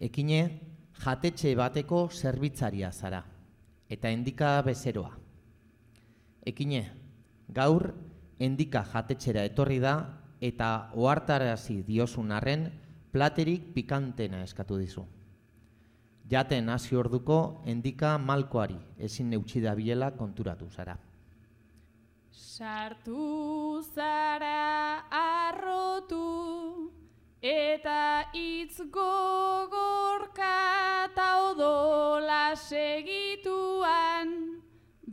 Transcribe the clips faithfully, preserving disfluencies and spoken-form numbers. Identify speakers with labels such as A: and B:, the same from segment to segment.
A: Ekine, jatetxe bateko zerbitzaria zara, eta endika bezeroa. Ekine, gaur endika jatetxera etorri da, eta ohartarazi diozun arren platerik pikantena eskatu dizu. Jaten hasi orduko endika malkoari ezin neutsi dabilela konturatu zara.
B: Sartu zara arrotu, eta hitz gogorka ta odola segituan,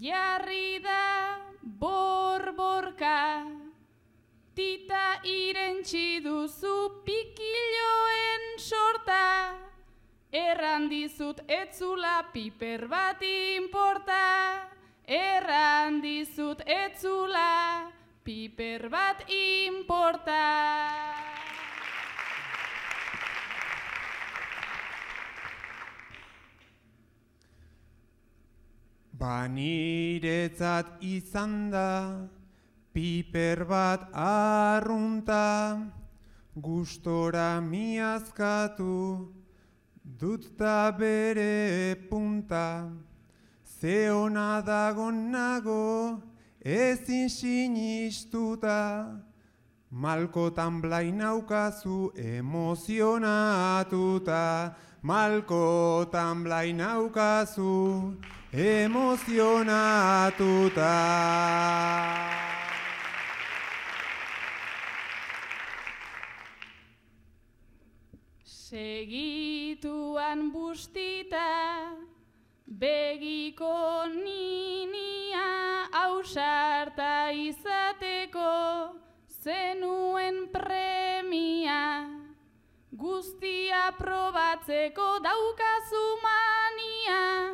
B: jarri da borborka, tita irentsi duzu pikilloen sorta, erran dizut etzula piper bat inporta, erran dizut etzula piper bat inporta.
C: Baniretzat izan da piper bat arrunta, gustora miazkatu dut da bere punta. Ze ona dagon nago ezin sinistuta, malkotan blainaukazu emozionatuta, malkotan blainaukazu emozionatuta.
B: Segituan bustita, begiko ninia ausarta izateko zenuen premia, guztia probatzeko daukazu mania,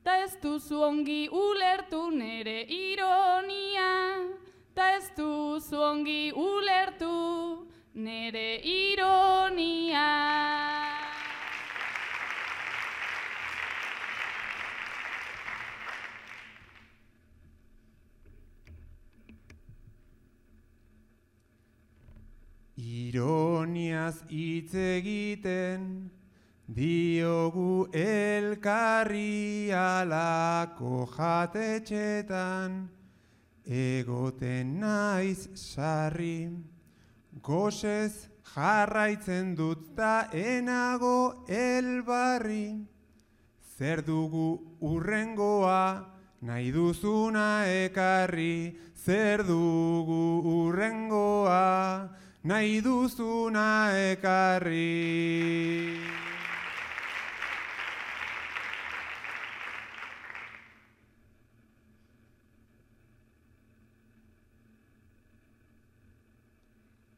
B: ta ez duzu ongi ulertu nere ironia, ta ez duzu ongi ulertu nere ironia.
C: Ironiaz hitz egiten diogu elkarri alako jatetxetan, egoten naiz sarri, gozez jarraitzen dut ta enago elbarri. Zer dugu urrengoa nahi duzuna ekarri, zer dugu urrengoa nahi duzuna ekarri.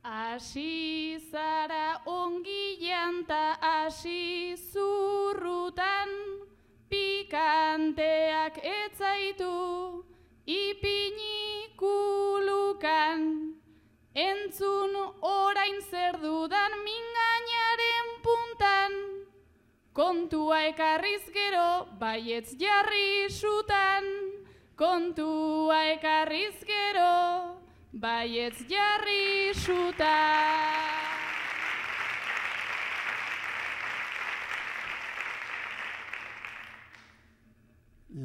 B: Asi zara ongi janta, asi zurrutan, pikanteak etzaitu ipini kulukan. Entzun orain zer dudan mingainaren puntan, kontua ekarriz gero baietz jarri sutan, kontua ekarriz gero baietz jarri sutan.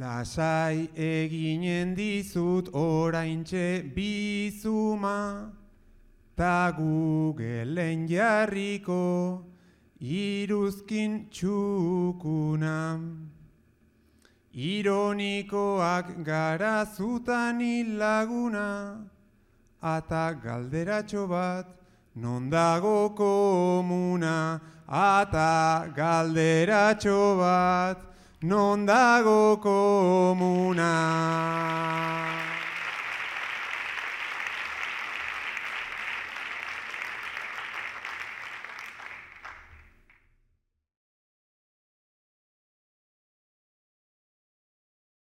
C: Lasai eginen dizut oraintxe bizuma, ta Googleen jarriko iruzkin txukuna. Ironikoak gara zutan hilaguna, ata galderatxo bat non dago komuna, ata galderatxo bat non dago komuna.